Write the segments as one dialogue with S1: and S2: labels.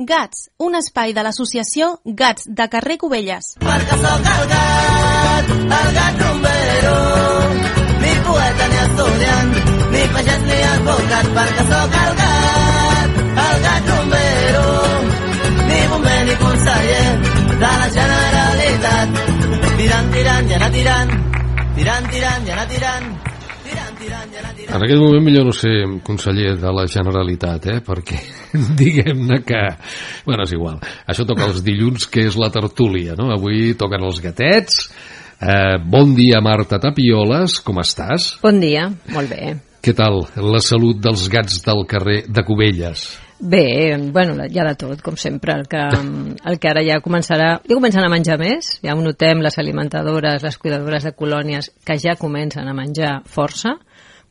S1: Gats, un espai de l'associació Gats de carrer Cubelles.
S2: Perquè sóc el gat rumbero, ni poeta ni estudiant, ni pagès ni advocat, perquè sóc el gat rumbero, ni bomber ni conseller de la Generalitat. Tirant, tirant, i anar tirant, tirant, tirant, i anar tirant.
S3: En aquest moment millor no ser conseller de la Generalitat, perquè diguem-ne que... Bueno, és igual. Això toca els dilluns, que és la tertúlia, no? Avui toquen els gatets. Bon dia, Marta Tapioles, com estàs?
S4: Bon dia, molt bé.
S3: Què tal la salut dels gats del carrer de Cubelles?
S4: Bé, bueno, hi ha de tot, com sempre. El que ara ja comencen a menjar més, ja ho notem, les alimentadores, les cuidadores de colònies, que ja comencen a menjar força,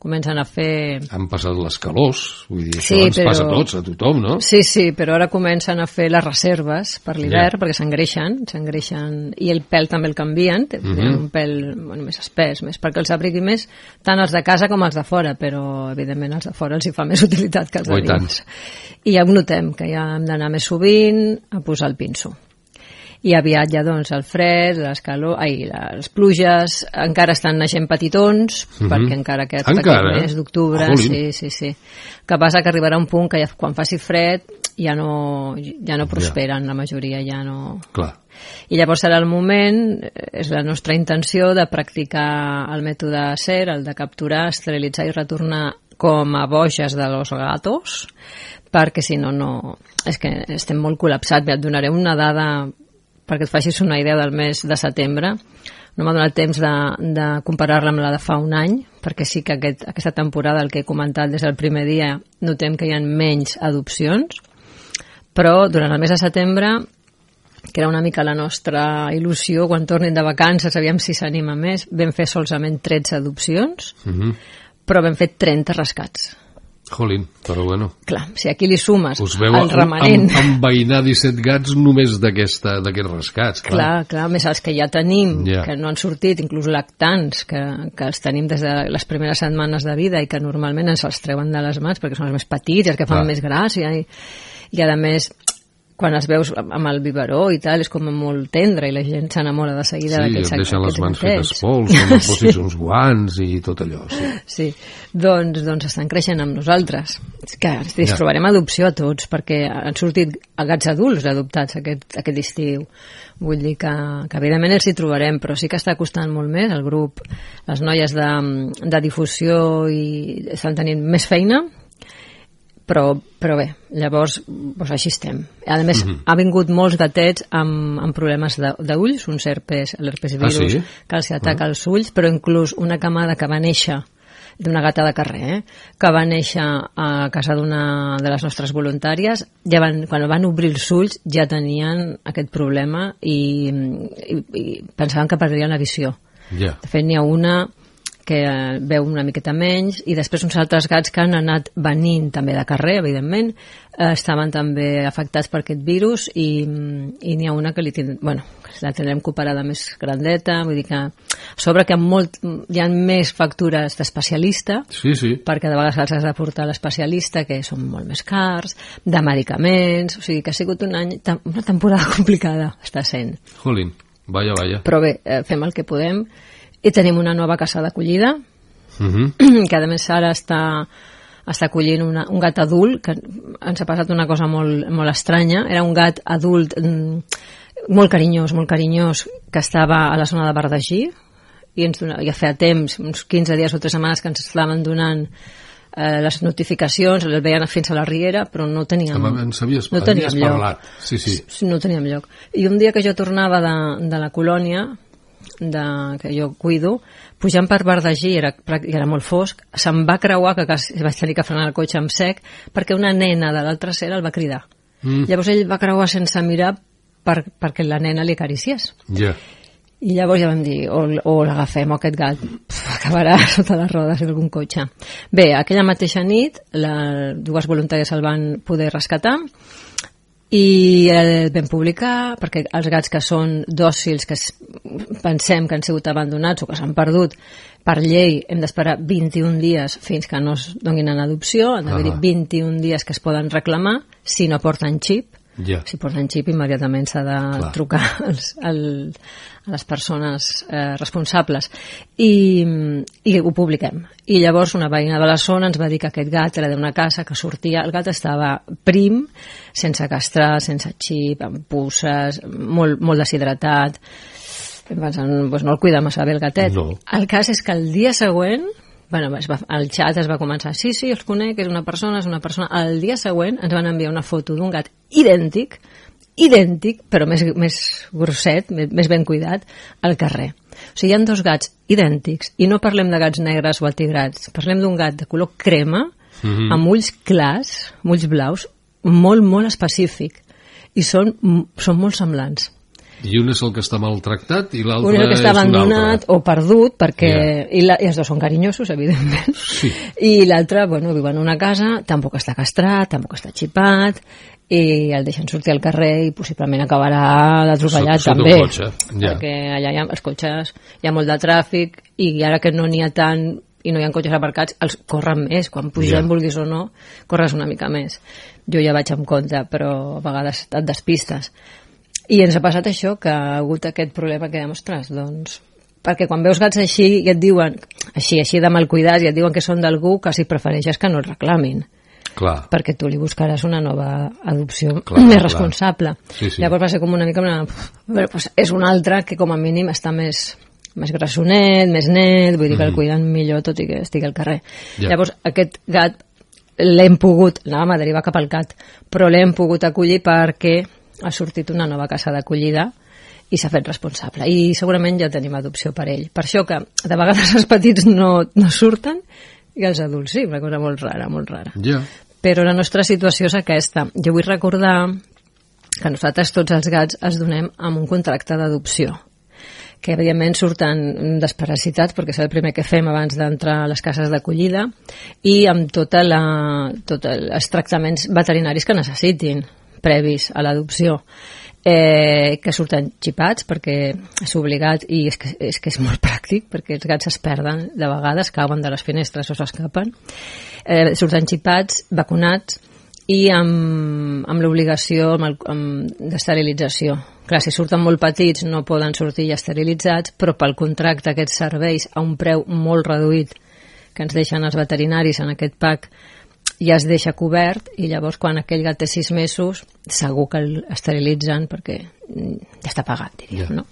S4: comencen a fer...
S3: Han passat les calors, vull dir, això ens passa a tots, a tothom, no?
S4: Sí, però ara comencen a fer les reserves per l'hivern, perquè s'engreixen, i el pèl també el canvien, tenen un pèl més espès, perquè els abrigui més, tant els de casa com els de fora, però evidentment els de fora els hi fa més utilitat que els de dins. I ja ho notem, que ja hem d'anar més sovint a posar el pinso. I aviat ja, doncs, el fred, les pluges, encara estan naixent petitons, perquè encara aquest petit mes d'octubre, sí. El que passa que arribarà un punt que ja, quan faci fred ja no prosperen, la majoria ja no...
S3: Clar.
S4: I llavors serà el moment, és la nostra intenció, de practicar el mètode SER, el de capturar, esterilitzar i retornar com a boges de los gatos, perquè si no... És que estem molt col·lapsats. Et donaré una dada perquè et facis una idea del mes de setembre. No m'ha donat temps de comparar-la amb la de fa un any, perquè sí que aquesta temporada, el que he comentat des del primer dia, notem que hi ha menys adopcions, però durant el mes de setembre, que era una mica la nostra il·lusió, quan tornin de vacances, aviam si s'anima més, vam fer solament 13 adopcions, però vam fer 30 rescats.
S3: Jolín, però bueno.
S4: Clar, si aquí li sumes el remanent...
S3: Us veu enveïnar 17 gats només d'aquests rescats.
S4: Clar, més els que ja tenim, que no han sortit, inclús lactants, que els tenim des de les primeres setmanes de vida i que normalment ens els treuen de les mans perquè són els més petits, els que fan més gràcia. I a més, quan els veus amb el biberó i tal, és com molt tendre i la gent s'enamora de seguida d'aquests gatets.
S3: Sí, deixen les mans fetes pols, com posis uns guants i tot allò.
S4: Sí, doncs estan creixent amb nosaltres. És que ens trobarem adopció a tots, perquè han sortit gats adults adoptats aquest estiu. Vull dir que evidentment els hi trobarem, però sí que està costant molt més. El grup, les noies de difusió estan tenint més feina, però bé, llavors així estem. A més, ha vingut molts gatets amb problemes d'ulls, un l'herpes virus, que els ataca els ulls, però inclús una camada que va néixer d'una gata de carrer, que va néixer a casa d'una de les nostres voluntàries, quan van obrir els ulls ja tenien aquest problema i pensaven que perdrien la visió. De fet, n'hi ha una que veu una miqueta menys, i després uns altres gats que han anat venint també de carrer, evidentment, estaven també afectats per aquest virus, i n'hi ha una que la tindrem cooperada més grandeta, vull dir que a sobre que hi ha més factures d'especialista, perquè de vegades els has de portar a l'especialista, que són molt més cars, de medicaments, o sigui que ha sigut una temporada complicada, està sent.
S3: Jolín, vaya.
S4: Però bé, fem el que podem. I tenim una nova casa d'acollida, que a més ara està acollint un gat adult, que ens ha passat una cosa molt estranya. Era un gat adult molt carinyós, que estava a la zona de Bardagí, i ja feia temps, uns 15 dies o 3 setmanes, que ens estaven donant les notificacions, el veien fins a la Riera, però no teníem lloc. No teníem lloc. I un dia que jo tornava de la colònia, que jo cuido, pujant per Bardagí, era molt fosc, se'm va creuar, que vaig tenir que frenar el cotxe amb sec, perquè una nena de l'altra acera el va cridar. Llavors ell va creuar sense mirar perquè la nena li acariciés. I llavors ja vam dir, o l'agafem, o aquest gat acabarà sota les rodes d'algun cotxe. Bé, aquella mateixa nit, dues voluntàries el van poder rescatar, i el vam publicar, perquè els gats que són dòcils, que pensem que han sigut abandonats o que s'han perdut, per llei hem d'esperar 21 dies fins que no es donin en adopció, han d'haver-hi 21 dies que es poden reclamar si no porten xip,
S3: Ja.
S4: Si porten xip, immediatament s'ha de trucar a les persones responsables. I ho publiquem. I llavors una veïna de la zona ens va dir que aquest gat era d'una casa que sortia... El gat estava prim, sense castrar, sense xip, amb pusses, molt deshidratat. Doncs no el cuida massa bé el gatet.
S3: No.
S4: El cas és que el dia següent... el xat es va començar, sí, els conec, és una persona. El dia següent ens van enviar una foto d'un gat idèntic, però més grosset, més ben cuidat, al carrer. O sigui, hi ha 2 gats idèntics, i no parlem de gats negres o atigrats, parlem d'un gat de color crema, amb ulls clars, amb ulls blaus, molt, molt específic, i són molt semblants.
S3: I un és el que està maltractat i l'altre
S4: és un altre. Un és el que està abandonat o perdut, perquè...
S3: Yeah.
S4: I els dos són carinyosos, evidentment.
S3: Sí.
S4: I l'altre, viu en una casa, tampoc està castrat, tampoc està xipat, i el deixen sortir al carrer i possiblement acabarà atropellat també.
S3: Sota un cotxe, ja.
S4: Perquè allà els cotxes, hi ha molt de tràfic, i ara que no n'hi ha tant i no hi ha cotxes aparcats, els corren més. Quan pugem, vulguis o no, corres una mica més. Jo ja vaig amb compte, però a vegades et despistes. I ens ha passat això, que ha hagut aquest problema que demostres, doncs, perquè quan veus gats així i et diuen, així de mal cuidats, i et diuen que són d'algú, quasi prefereixes que no el reclamin.
S3: Clar.
S4: Perquè tu li buscaràs una nova adopció més responsable.
S3: Sí.
S4: Llavors va ser com una mica és un altre que com a mínim està més grassonet, més net, vull dir que el cuiden millor tot i que estigui al carrer. Llavors aquest gat l'hem pogut, anàvem a derivar cap al gat, però l'hem pogut acollir perquè ha sortit una nova casa d'acollida i s'ha fet responsable. I segurament ja tenim adopció per ell. Per això que de vegades els petits no surten i els adults sí, una cosa molt rara, molt rara.
S3: Yeah.
S4: Però la nostra situació és aquesta. Jo vull recordar que nosaltres tots els gats els donem amb un contracte d'adopció, que evidentment surten desparasitats perquè és el primer que fem abans d'entrar a les cases d'acollida, i amb tots els tractaments veterinaris que necessitin previs a l'adopció, que surten xipats perquè és obligat, i és que és molt pràctic perquè els gats es perden de vegades, cauen de les finestres o s'escapen, surten xipats, vacunats i amb l'obligació d'esterilització. Clar, si surten molt petits no poden sortir ja esterilitzats, però pel contracte aquests serveis a un preu molt reduït que ens deixen els veterinaris en aquest pack ja es deixa cobert, i llavors quan aquell gat té 6 mesos segur que l'esterilitzen perquè ja està pagat, diríem, no?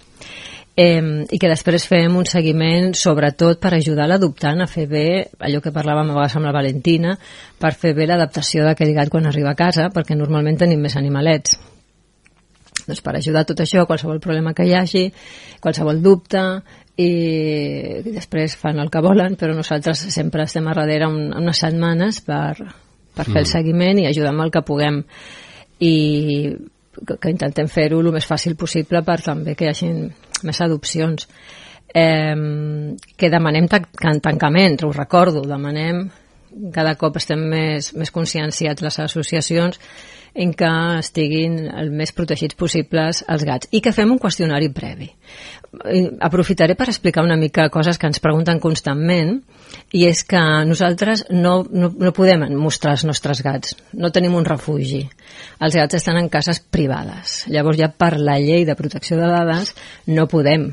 S4: I que després fem un seguiment sobretot per ajudar l'adoptant a fer bé allò que parlàvem a vegades amb la Valentina, per fer bé l'adaptació d'aquell gat quan arriba a casa, perquè normalment tenim més animalets. Doncs per ajudar tot això, qualsevol problema que hi hagi, qualsevol dubte, i després fan el que volen, però nosaltres sempre estem a darrere unes setmanes per fer el seguiment i ajudar amb el que puguem, i que intentem fer-ho el més fàcil possible per també que hi hagi més adopcions. Que demanem tancament, ho recordo, demanem, cada cop estem més conscienciats les associacions en què estiguin el més protegits possibles els gats, i que fem un qüestionari previ. Aprofitaré per explicar una mica coses que ens pregunten constantment, i és que nosaltres no podem mostrar els nostres gats, no tenim un refugi. Els gats estan en cases privades, llavors ja per la llei de protecció de dades no podem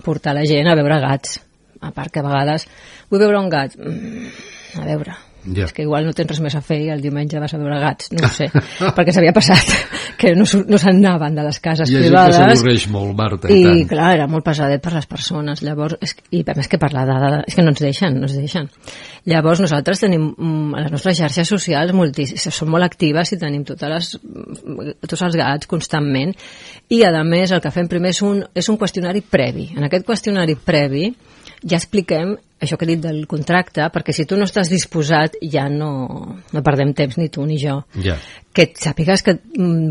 S4: portar la gent a veure gats, a part que a vegades vull veure un gat, a veure, és que igual no tens res més a fer i el diumenge vas a veure gats, no ho sé, perquè s'havia passat que no se'n anaven de les cases privades.
S3: Hi ha gent que s'avorreix molt, Marta,
S4: i tant. Clar, era molt pesadet per les persones, llavors, i a més que per la dada, és que no ens deixen. Llavors nosaltres tenim a les nostres xarxes socials són molt actives i tenim tots els gats constantment, i a més el que fem primer és un qüestionari previ. En aquest qüestionari previ ja expliquem això que he dit del contracte, perquè si tu no estàs disposat ja no perdem temps ni tu ni jo. Que sàpigues que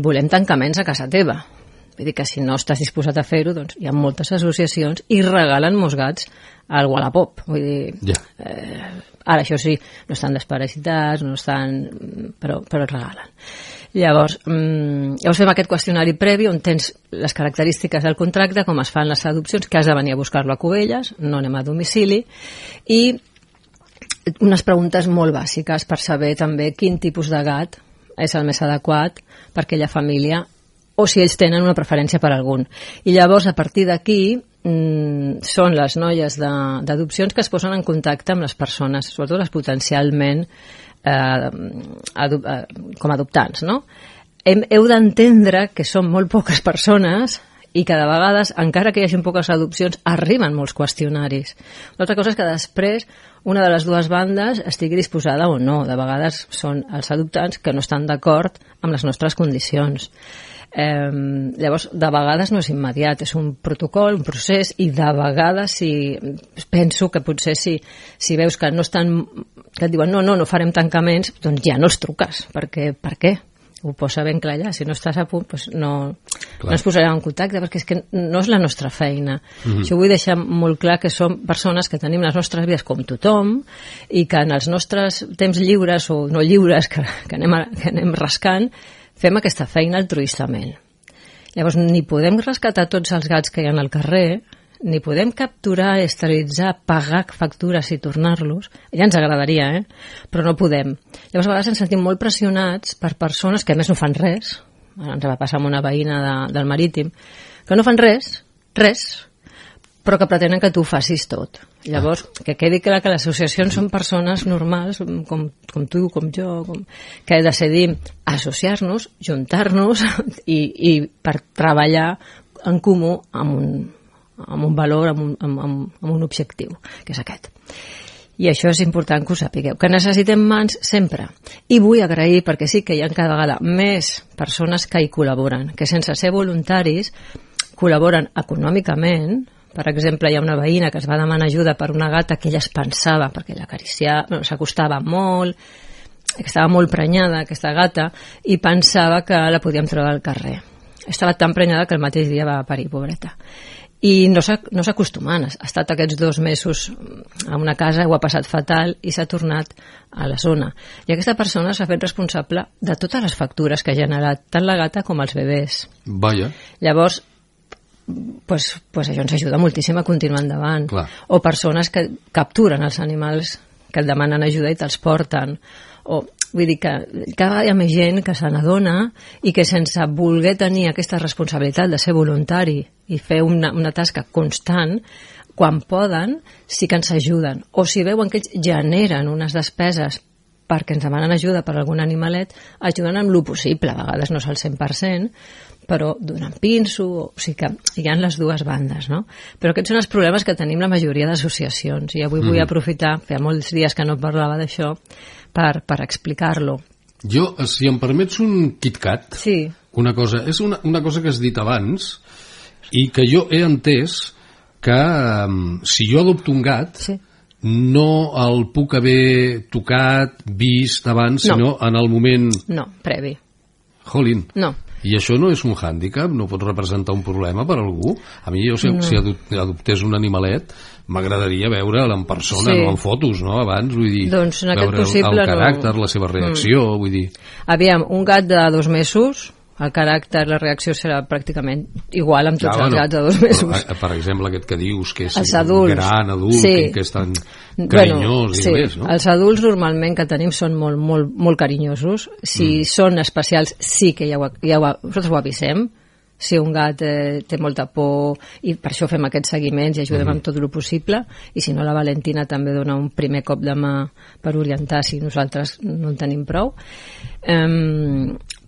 S4: volem tancaments a casa teva. Vull dir que si no estàs disposat a fer-ho, doncs hi ha moltes associacions i regalen molts gats al Wallapop. Vull dir, ara això sí, no estan desparasitats, no estan, però regalen. Llavors fem aquest qüestionari previ on tens les característiques del contracte, com es fan les adopcions, que has de venir a buscar-lo a Cubelles, no anem a domicili, i unes preguntes molt bàsiques per saber també quin tipus de gat és el més adequat per aquella família, o si ells tenen una preferència per algun. I llavors, a partir d'aquí, són les noies d'adopcions que es posen en contacte amb les persones, sobretot les potencialment com a adoptants, no? Heu d'entendre que són molt poques persones i que de vegades, encara que hi hagi poques adopcions, arriben molts qüestionaris. L'altra cosa és que després una de les dues bandes estigui disposada o no. De vegades són els adoptants que no estan d'acord amb les nostres condicions. Llavors, de vegades no és immediat, és un protocol, un procés, i de vegades penso que potser si veus que no estan, que et diuen no farem tancaments, doncs ja no els truques, perquè per què? Ho posa ben clar allà, si no estàs a punt doncs no ens posarem en contacte, perquè és que no és la nostra feina. Jo vull deixar molt clar que som persones que tenim les nostres vides com tothom i que en els nostres temps lliures o no lliures que anem rascant fem aquesta feina altruistament. Llavors, ni podem rescatar tots els gats que hi ha al carrer, ni podem capturar, esterilitzar, pagar factures i tornar-los. Ja ens agradaria, però no podem. Llavors, a vegades ens sentim molt pressionats per persones que a més no fan res. Ens va passar amb una veïna del Marítim, que no fan res, però que pretenen que tu facis tot. Llavors, que quedi clar que les associacions són persones normals, com tu, com jo, que decidim associar-nos, juntar-nos i per treballar en comú amb un valor, amb un objectiu, que és aquest. I això és important que ho sapigueu, que necessitem mans sempre. I vull agrair, perquè sí que hi ha cada vegada més persones que hi col·laboren, que sense ser voluntaris col·laboren econòmicament. Per exemple, hi ha una veïna que es va demanar ajuda per una gata que ella es pensava, perquè l'acariciava, s'acostava molt, que estava molt prenyada, aquesta gata, i pensava que la podíem treure al carrer. Estava tan prenyada que el mateix dia va parir, pobreta. I no s'acostumen, ha estat aquests 2 mesos a una casa, ho ha passat fatal i s'ha tornat a la zona. I aquesta persona s'ha fet responsable de totes les factures que ha generat tant la gata com els bebès.
S3: Vaja.
S4: Llavors, pues això ens ajuda moltíssim a continuar endavant.
S3: Clar.
S4: O persones que capturen els animals que et demanen ajuda i te'ls porten. Vull dir que cada vegada hi ha més gent que se n'adona i que sense voler tenir aquesta responsabilitat de ser voluntari i fer una tasca constant, quan poden, sí que ens ajuden. O si veuen que ells generen unes despeses perquè ens demanen ajuda per algun animalet, ajuden amb lo possible. A vegades no és el 100%, però donant pinso, o sigui que hi ha les dues bandes, no? Però aquests són els problemes que tenim la majoria d'associacions, i avui vull aprofitar, feia molts dies que no parlava d'això, per explicar-lo.
S3: Jo, si em permets un KitKat,
S4: sí.
S3: Una cosa, és una cosa que has dit abans i que jo he entès que si jo adopto un gat,
S4: sí,
S3: no el puc haver tocat, vist abans, sinó en el moment...
S4: No, previ.
S3: Jolín.
S4: No.
S3: I això no és un hàndicap? No pot representar un problema per a algú? A mi, si adoptés un animalet, m'agradaria veure'l en persona, no en fotos, no? Abans, vull dir,
S4: doncs
S3: veure el caràcter, la seva reacció, vull dir...
S4: Aviam, un gat de 2 mesos, el caràcter, la reacció serà pràcticament igual amb tots els gats de 2 mesos.
S3: Per exemple, aquest que dius, que és
S4: un
S3: gran adult, que és tan carinyós i més, no?
S4: Els adults normalment que tenim són molt, molt, molt carinyosos. Si són especials, sí que nosaltres ho avisem. Si un gat té molta por, i per això fem aquests seguiments i ajudem amb tot el possible, i si no, la Valentina també dona un primer cop de mà per orientar si nosaltres no en tenim prou.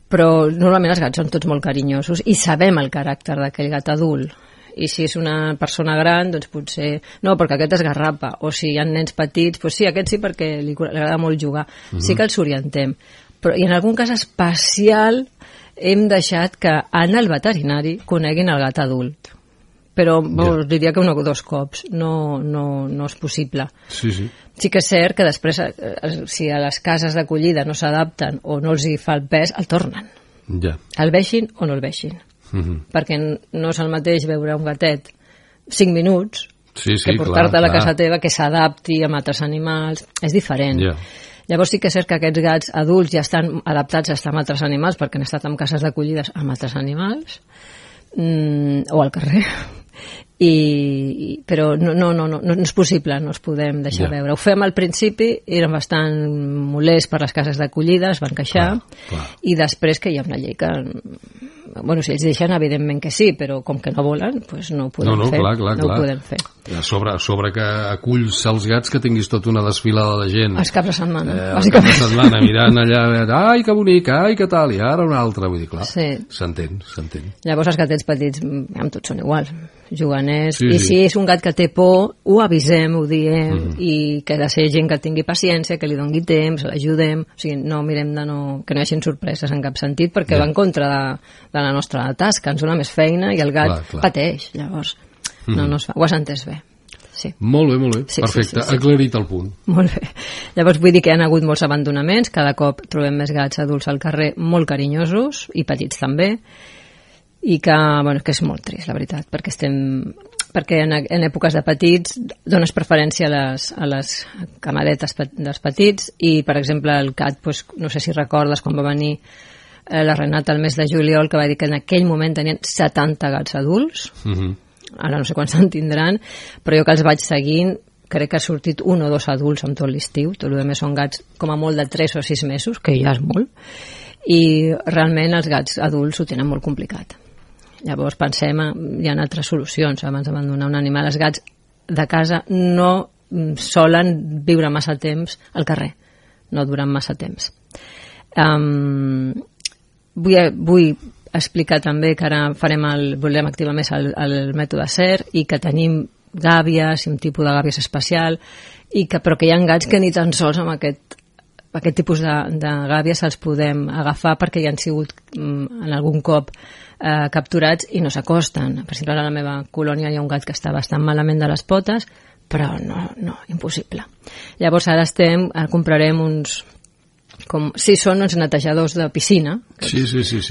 S4: Però normalment els gats són tots molt carinyosos i sabem el caràcter d'aquell gat adult. I si és una persona gran, doncs potser no, perquè aquest esgarrapa. O si hi ha nens petits, doncs sí, aquest sí, perquè li agrada molt jugar. Sí que els orientem. Però, i en algun cas especial hem deixat que en el veterinari coneguin el gat adult. Però diria que 1 o 2 cops. No és possible.
S3: Sí, sí.
S4: Sí que és cert que després, si a les cases d'acollida no s'adapten o no els hi fa el pes, el tornen.
S3: Ja.
S4: El veixin o no el veixin. Perquè no és el mateix veure un gatet 5 minuts que portar-te a la casa teva, que s'adapti amb altres animals. És diferent. Llavors sí que és cert que aquests gats adults ja estan adaptats a estar amb altres animals perquè han estat en cases d'acollides amb altres animals o al carrer. però no és possible, no els podem deixar veure. Ho fem al principi, eren bastant molests per les cases d'acollida, es van queixar, i després que hi ha una llei que... Bueno, si ells deixen, evidentment que sí, però com que no volen, doncs no ho podem fer. No ho podem fer.
S3: A sobre que aculls els gats, que tinguis tota una desfilada de gent.
S4: Els caps de setmana,
S3: els caps de setmana, mirant allà, ai, que bonic, ai, que tal, i ara una altra, vull dir, clar, s'entén.
S4: Llavors els gatets petits, tots són iguals, juganers, i si és un gat que té por, ho avisem, ho diem, i que ha de ser gent que tingui paciència, que li doni temps, l'ajudem, o sigui, no mirem que no hi hagi sorpreses en cap sentit, perquè va en contra de la nostra tasca, ens dona més feina i el gat pateix, llavors no es fa. Ho has entès bé. Sí.
S3: Molt bé, perfecte, aclarit el punt.
S4: Molt bé. Llavors vull dir que hi ha hagut molts abandonaments, cada cop trobem més gats adults al carrer molt carinyosos, i petits també, i que és molt trist, la veritat, perquè en èpoques de petits dones preferència a les camaretes dels petits, i per exemple el gat, no sé si recordes quan va venir la Renata el mes de juliol, que va dir que en aquell moment tenien 70 gats adults, ara no sé quants en tindran, però jo que els vaig seguint crec que ha sortit 1 o 2 adults amb tot l'estiu, tot el més són gats com a molt de 3 o 6 mesos, que ja és molt, i realment els gats adults ho tenen molt complicat. Llavors pensem, hi ha altres solucions abans d'abandonar un animal. Els gats de casa no solen viure massa temps al carrer, no duren massa temps. Vull explicar també que ara volem activar més el mètode SER, i que tenim gàbies, un tipus de gàbies especial, però que hi ha gats que ni tan sols amb aquest tipus de gàbies els podem agafar, perquè ja han sigut en algun cop capturats i no s'acosten. Per exemple, a la meva colònia hi ha un gat que està bastant malament de les potes, però no, impossible. Llavors ara comprarem són uns netejadors de piscina.
S3: Sí.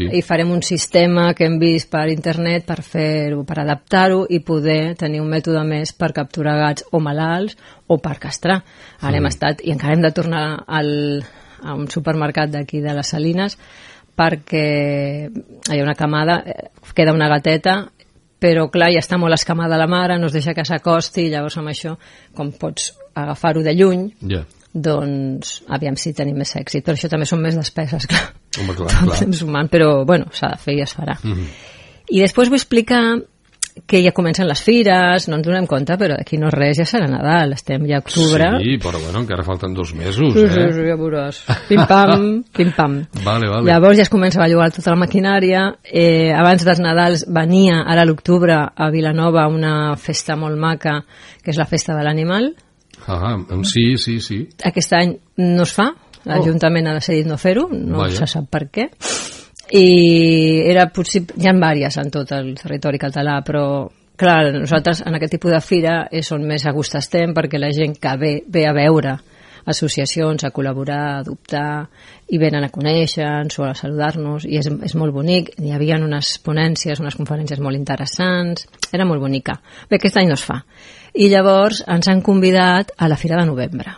S4: I farem un sistema que hem vist per internet per fer-ho, per adaptar-ho i poder tenir un mètode més per capturar gats o malalts o per castrar. Ara hem estat, i encara hem de tornar a un supermercat d'aquí de les Salines, perquè hi ha una camada, queda una gateta, però clar, ja està molt escamada la mare, no es deixa que s'acosti, i llavors amb això, com pots agafar-ho de lluny, doncs aviam si tenim més èxit, però això també són més despeses, clar.
S3: Home, clar.
S4: Temps humant, però bueno, s'ha de fer i es farà. I després vull explicar que ja comencen les fires, no ens donem compte, però d'aquí no res, ja serà Nadal, estem ja a octubre.
S3: Sí, però bueno, encara falten 2 mesos,
S4: Sí, ja veuràs. Pim-pam.
S3: Vale.
S4: Llavors ja es comença a bellugar tota la maquinària. Abans dels Nadals venia, ara a l'octubre, a Vilanova, una festa molt maca, que és la Festa de l'Animal.
S3: Sí.
S4: Aquest any no es fa, l'Ajuntament ha decidit no fer-ho, no se sap per què, i era possible, hi ha diverses en tot el territori català, però clar, nosaltres en aquest tipus de fira és on més a gust estem, perquè la gent que ve a veure associacions, a col·laborar, a adoptar, i venen a conèixer-nos o a saludar-nos, i és molt bonic. Hi havia unes ponències, unes conferències molt interessants, era molt bonica. Bé, aquest any no es fa. I llavors ens han convidat a la Fira de Novembre,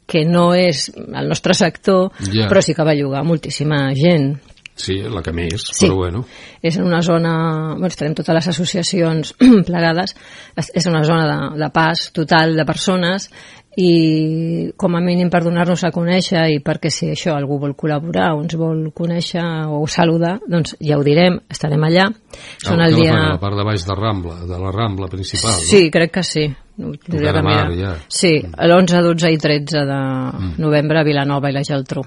S4: que no és el nostre sector, però sí que va llogar moltíssima gent.
S3: Sí, la que més, però bueno.
S4: És en una zona, estarem totes les associacions plegades, és una zona de pas total de persones, i com a mínim per donar-nos a conèixer, i perquè si això algú vol col·laborar o ens vol conèixer o saludar, doncs ja ho direm, estarem allà.
S3: Són el dia... a la part de baix de la Rambla principal, no?
S4: Sí, crec que sí. Sí, l'11, 12 i 13 de novembre a Vilanova i la Geltrú.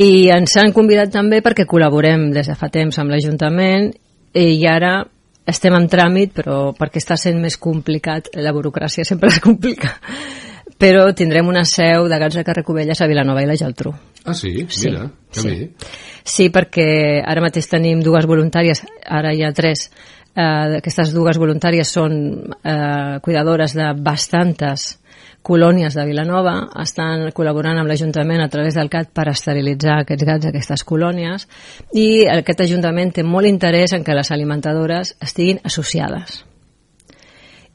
S4: I ens han convidat també perquè col·laborem des de fa temps amb l'Ajuntament, i ara estem en tràmit, però perquè està sent més complicat, la burocràcia sempre es complica, però tindrem una seu de Gats de Carrer Cubelles a Vilanova i la Geltrú.
S3: Ah, sí? Mira, que bé.
S4: Sí, perquè ara mateix tenim 2 voluntàries, ara hi ha 3. Aquestes 2 voluntàries són cuidadores de bastantes colònies de Vilanova, estan col·laborant amb l'Ajuntament a través del CAT per esterilitzar aquests gats, aquestes colònies, i aquest Ajuntament té molt interès en que les alimentadores estiguin associades.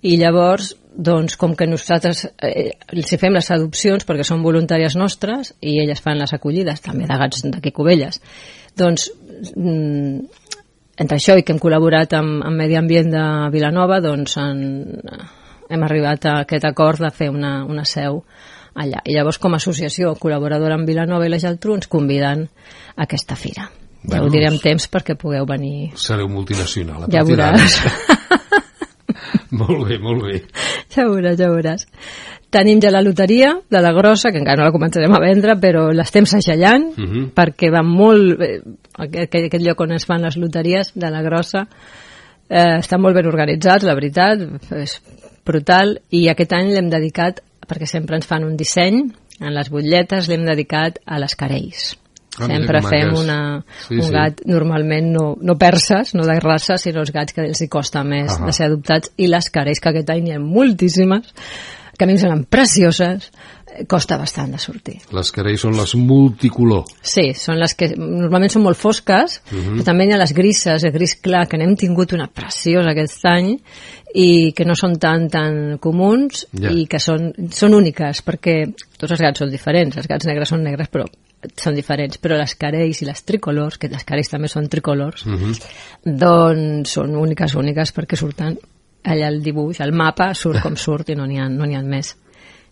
S4: I llavors, doncs, com que nosaltres els fem les adopcions perquè són voluntàries nostres i elles fan les acollides també de gats d'aquí Cubelles, doncs entre això i que hem col·laborat amb Medi Ambient de Vilanova, doncs hem arribat a aquest acord de fer una seu allà. I llavors, com a associació col·laboradora amb Vilanova i la Geltrú, ens conviden a aquesta fira. Ja ho diré amb temps perquè pugueu venir.
S3: Sereu multinacional.
S4: Ja veuràs.
S3: Molt bé, molt bé.
S4: Ja veuràs. Tenim ja la loteria de la grossa, que encara no la començarem a vendre, però l'estem segellant, perquè va molt bé. Aquest lloc on es fan les loteries de la grossa està molt ben organitzat, la veritat, és brutal, i aquest any l'hem dedicat, perquè sempre ens fan un disseny, en les butlletes l'hem dedicat a les carells. Sempre fem un gat, normalment no perses, no de raça, sinó els gats que els hi costa més de ser adoptats, i les carells, que aquest any hi ha moltíssimes, que a mi em semblen precioses, costa bastant de sortir.
S3: Les carells són les multicolor.
S4: Sí, són les que normalment són molt fosques, però també hi ha les grises, el gris clar, que n'hem tingut una preciosa aquest any, i que no són tan comuns, i que són úniques, perquè tots els gats són diferents, els gats negres són negres, però són diferents, però les carells i les tricolors, que les carells també són tricolors, doncs són úniques perquè surten allà el dibuix, el mapa surt com surt i no n'hi ha més.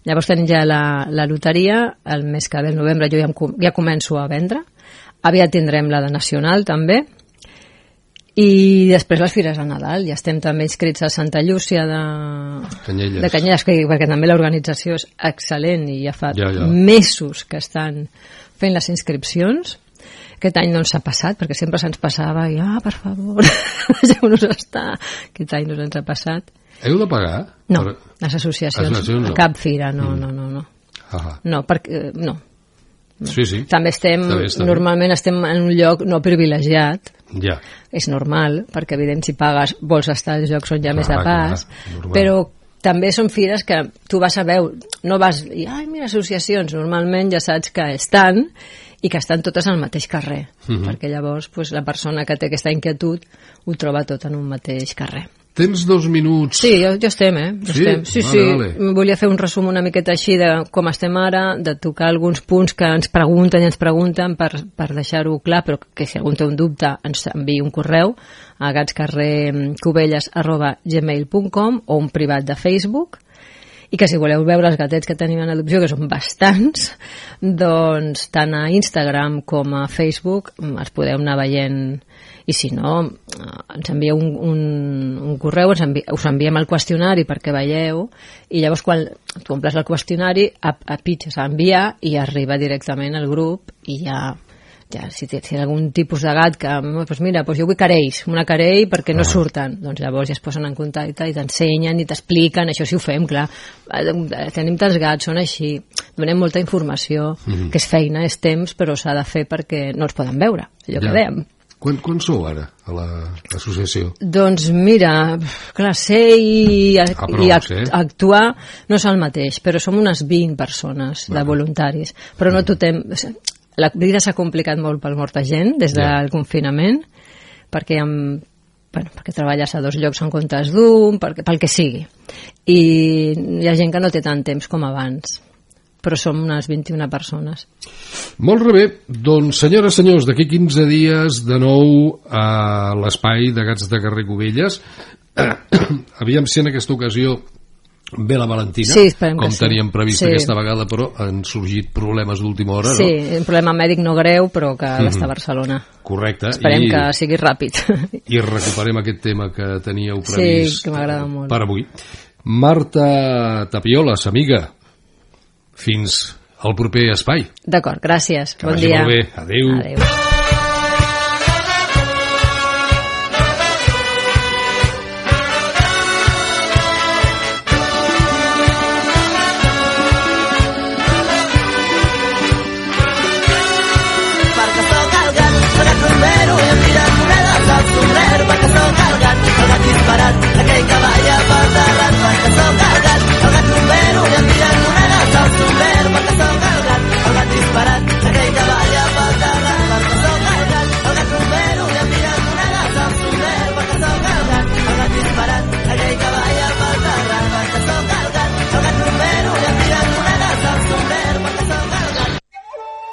S4: Llavors tenim ja la loteria, el mes que ve, el novembre, jo ja començo a vendre, aviat tindrem la de Nacional també, i després les fires a Nadal, ja estem també inscrits a Santa Llúcia de Canyelles, perquè també l'organització és excel·lent i ja fa mesos que estan fent les inscripcions. Aquest any no ens ha passat, perquè sempre se'ns passava i, per favor, deixeu-nos estar. Aquest any no ens ha passat.
S3: Heu de pagar?
S4: No, les associacions no. Cap fira, no. No, perquè, no.
S3: Sí.
S4: També normalment estem en un lloc no privilegiat.
S3: Ja.
S4: És normal, perquè evident si pagues vols estar als llocs on hi ha més de pas, però també són fires que tu vas a veure, no vas i, mira, associacions, normalment ja saps que estan i que estan totes al mateix carrer, perquè llavors la persona que té aquesta inquietud ho troba tot en un mateix carrer.
S3: Tens 2 minuts.
S4: Sí, ja estem, Sí. Vale. Volia fer un resum una miqueta així de com estem ara, de tocar alguns punts que ens pregunten per deixar-ho clar, però que si algú té un dubte ens enviï un correu a gatscarrercubelles@gmail.com o un privat de Facebook, i que si voleu veure els gatets que tenim en adopció, que són bastants, doncs tant a Instagram com a Facebook els podeu anar veient, i si no ens envieu un correu, us enviem el qüestionari perquè veieu, i llavors quan tu omples el qüestionari pitges a enviar i arriba directament al grup, i ja si hi ha algun tipus de gat que, doncs mira, jo vull carells, una carell perquè no surten, doncs llavors ja es posen en contacte i t'ensenyen i t'expliquen, això sí ho fem, clar, tenim tants gats, són així, donem molta informació, que és feina, és temps, però s'ha de fer perquè no els poden veure, allò que dèiem.
S3: Quan sou ara a l'associació?
S4: Doncs mira, clar, ser i actuar no és el mateix, però som unes 20 persones de voluntaris, però no tothom... La vida s'ha complicat molt per molta gent des del confinament, perquè treballes a 2 llocs en comptes d'un, pel que sigui. I hi ha gent que no té tant temps com abans, però som unes 21 persones.
S3: Molt bé, doncs senyores, senyors, d'aquí 15 dies de nou a l'espai de Gats de Carrer Cubelles. Aviam si en aquesta ocasió ve la Valentina, com teníem previst aquesta vegada, però han sorgit problemes d'última hora, no?
S4: Sí, un problema mèdic no greu, però que està a Barcelona.
S3: Correcte.
S4: Esperem que sigui ràpid.
S3: I recuperem aquest tema que teníeu previst
S4: que m'agrada molt
S3: per avui. Marta Tapioles, amiga, fins al proper espai.
S4: D'acord, gràcies.
S3: Bon dia. Que vagi molt bé. Adéu.